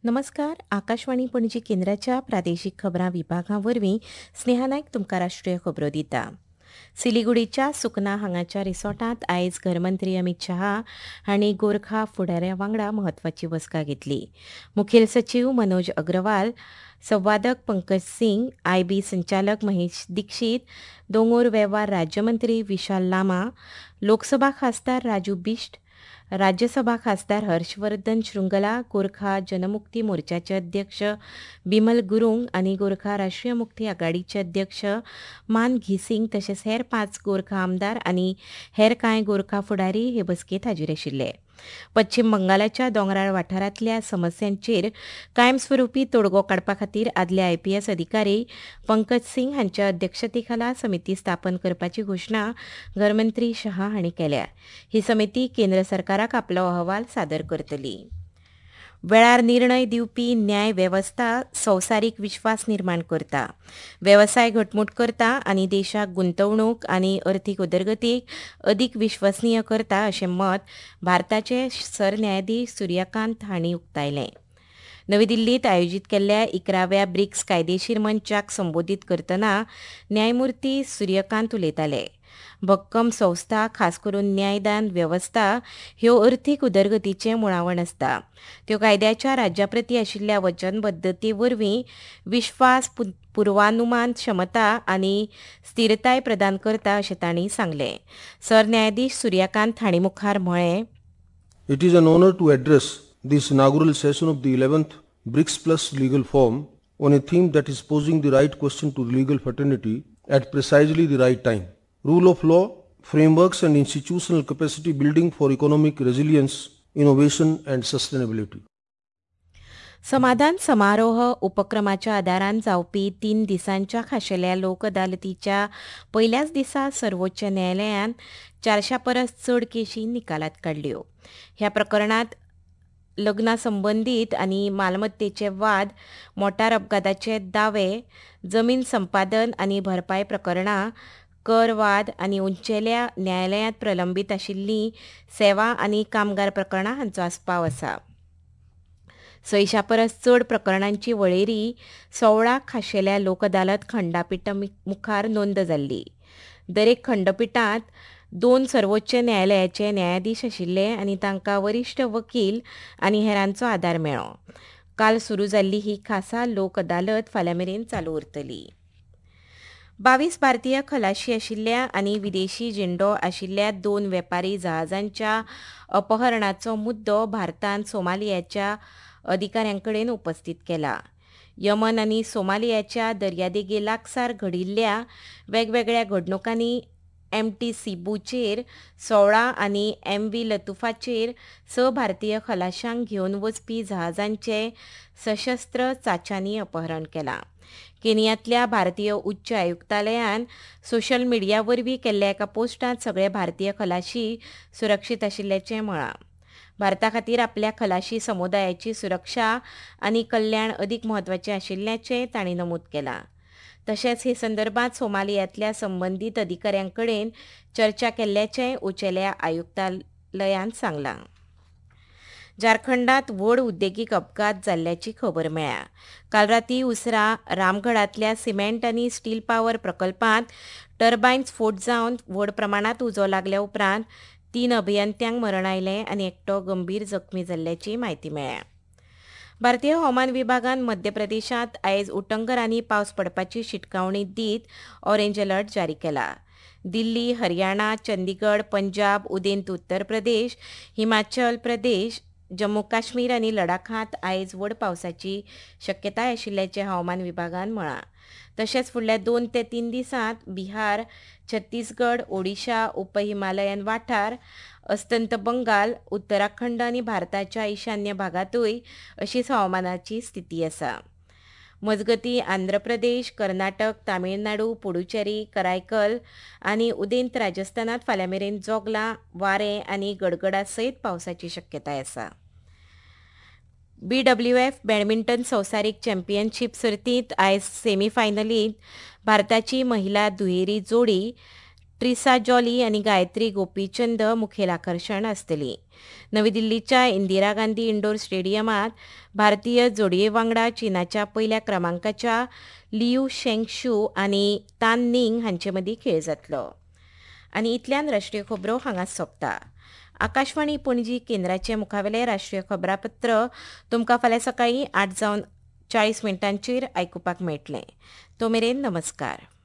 नमस्कार, आकाशवाणी पणजी केंद्राच्या प्रादेशीक खबरां विभागा वरवीं स्नेहा नायक तुमकां राष्ट्रीय खबरो दिता. सिलिगुडीच्या सुकना हांगाच्या रिसॉर्टांत आयज घरमंत्री अमित शहा हांणी गोरखा फुडाऱ्या वांगडा म्हत्वाची बसका घेतली. मुखेल सचीव मनोज अग्रवाल, संवादक पंकज सिंग, आयबी संचालक महेश दीक्षित, दोंगोर वेव्हार राज्यमंत्री विशाल लामा, लोकसभा खासदार राजू बिश्ट, राज्यसभा खासदार हर्षवर्धन शृंगला, गोरखा जनमुक्ती मोर्चाचे अध्यक्ष बिमल गुरूंग आनी गोरखा राष्ट्रीय मुक्ती आघाडीचे अध्यक्ष मान घिसिंग तशेंच हेर 5 गोरखा आमदार आनी हेर कांय गोरखा फुडारी हे बसकेंत हाजीर आशिल्ले. पश्चिम बंगालाच्या दोंगराळ वाठारांतल्या समस्यांचेर कायमस्वरूपी तोडगो काडपा खातीर आदले आयपीएस अधिकारी पंकज सिंग हांच्या अध्यक्षतेखाला समिती स्थापन करपाची घोशणा घरमंत्री शहा हांणी केल्या. ही समिती केंद्र सरकाराक आपलो अहवाल सादर करतली. वेळार निर्णय दिवपी न्याय वेवस्था संवसारीक विश्वास निर्माण करता, वेवसाय घटमूट करता आनी देशाक गुंतवणूक आनी अर्थीक उदरगतीक अदीक विश्वसनीय करता अशें मत भारताचे सरन्यायाधीश सूर्यकांत हांणी उक्तायलें. नवी दिल्लीत आयोजीत केल्ल्या 11व्या ब्रिक्स कायदेशीर मंचाक संबोधीत करतना न्यायमूर्ती सूर्यकांत उलयताले. भक्कम संस्था, खास करून न्यायदान वेवस्था ह्यो अर्थीक उदरगतीचें मुळावण आसता. त्यो कायद्याच्या राज्याप्रती आशिल्ल्या वचनबद्धते वरवीं विश्वास, पुर्वानुमान क्षमता आनी स्थिरताय प्रदान करता अशें तांणी सांगलें. सरन्यायाधीश सूर्यकांत हांणी मुखार म्हळें, It is an honour to address this inaugural session of the 11th BRICS Plus Legal Forum on a theme that is posing the right question to the legal fraternity at precisely the right time. Rule of law, frameworks and institutional capacity building for economic resilience, innovation and sustainability. समाधान समारोह उपक्रमाच्या आदारान जावपी 3 दिसांच्या खाशेल्या लोक अदालतीच्या पयल्याच दिसा सर्वोच्च न्यायालयान 400 परस चड केशी निकालात काडल्यो. ह्या प्रकरणांत लग्ना संबंदीत आनी मालमत्तेचे वाद, मोटार अपघाताचे दावे, जमीन संपादन आनी भरपाय प्रकरणां, कर वाद आनी उंचेल्या न्यायालयांत प्रलंबीत आशिल्लीं सेवा आनी कामगार प्रकरणां हांचो आस्पाव आसा. 600 परस चड प्रकरणांची वळेरी 16 खाशेल्या लोक अदालत खंडपिठा मुखार नोंद जाल्ली. दरेक खंडपिठांत 2 सर्वोच्च न्यायालयाचे न्यायाधीश आशिल्ले आनी तांकां वरिश्ठ वकील आनी हेरांचो आदार मेळ्ळो. काल सुरू जाल्ली ही खासा लोक अदालत फाल्यां मेरेन चालू उरतली. 22 भारतीय खलाशी आशिल्ल्या आनी विदेशी झेंडो आशिल्ल्या 2 वेपारी जहाजांच्या अपहरणाचो मुद्दो भारतान सोमालियाच्या अधिकाऱ्यांकडेन उपस्थित केला. यमन आनी सोमालियाच्या दर्यादेगे लागसार घडिल्ल्या वेगवेगळ्या घडणुकांनी एमटी सिबूचेर 16 आनी एमव्ही लतुफाचेर 6 भारतीय खलाशांक घेवन वचपी जहाजांचे सशस्त्र चाच्यांनी अपहरण केलां. केनियांतल्या भारतीय उच्च आयुक्तालयान सोशल मिडिया वरवीं केल्ल्या एका पोस्टांत सगळे भारतीय खलाशी सुरक्षीत आशिल्ल्याचें म्हळां. भारता खातीर आपल्या खलाशी समुदायाची सुरक्षा आनी कल्याण अदीक म्हत्वाचें आशिल्ल्याचें तांणी नमूद केलां. तशेंच हे संदर्भात सोमालियांतल्या संबंदीत अधिकाऱ्यांकडेन चर्चा केल्ल्याचें उंचेल्या आयुक्तालयान सांगलां. झारखंडात व्हड उद्देगीक अपघात जाल्ल्याची खबर मेळ्ळ्या. काल राती उसरां रामगडांतल्या सिमेंट आनी स्टील पावर प्रकल्पांत टर्बायन स्फोट जावन व्हड प्रमाणांत उजो लागल्या उपरांत 3 अभियंत्यांक मरण आयलें आनी एकटो गंभीर जखमी जाल्ल्याची म्हायती मेळ्ळ्या. भारतीय हवामान विभागान मध्य प्रदेशांत आयज उटंगरांनी पावस पडपाची शिटकावणी दीत ऑरेंज अलर्ट जारी केला. दिल्ली, हरियाणा, चंदीगड, पंजाब, उदेंत उत्तर प्रदेश, हिमाचल प्रदेश, जम्मू काश्मीर आनी लडाखांत आयज व्हड पावसाची शक्यताय आशिल्ल्याचें हवामान विभागान म्हळां. तशेंच फुडल्या 2 ते 3 दिसांत बिहार, छत्तीसगड, ओडिशा, उप हिमालयन वाठार, अस्तंत बंगाल, उत्तराखंड आनी भारताच्या ईशान्य भागांतूय अशीच हवामानाची स्थिती आसा. मजगतीं आंध्र प्रदेश, कर्नाटक, तामिळनाडू, पुडुचेरी, करायकल आनी उदेंत राजस्थानांत फाल्यां मेरेन जोगलां, वारें आनी गडगडा सयत पावसाची शक्यताय आसा. बीडब्ल्यूएफ बॅडमिंटन संवसारीक चॅम्पियनशीप सर्तींत आयज सेमीफायनलींत भारताची महिला दुहेरी जोडी ट्रिसा जॉली आनी गायत्री गोपीचंद मुखेल आकर्शण आसतली. नवी दिल्लीच्या इंदिरा गांधी इंडोर स्टेडियमांत भारतीय जोडये वांगडा चीनाच्या पयल्या क्रमांकाच्या लियू शेंगशू आनी तान निंग हांचे मदीं खेळ जातलो. आनी इतल्यान राष्ट्रीय खबरो हांगाच सोंपता. आकाशवाणी पणजी केंद्राचे मुखावेलें राष्ट्रीय खबरापत्र तुमकां फाल्यां सकाळीं 8 जावन 40 मिनटांचेर आयकुपाक मेळटलें. तो मेरेन नमस्कार.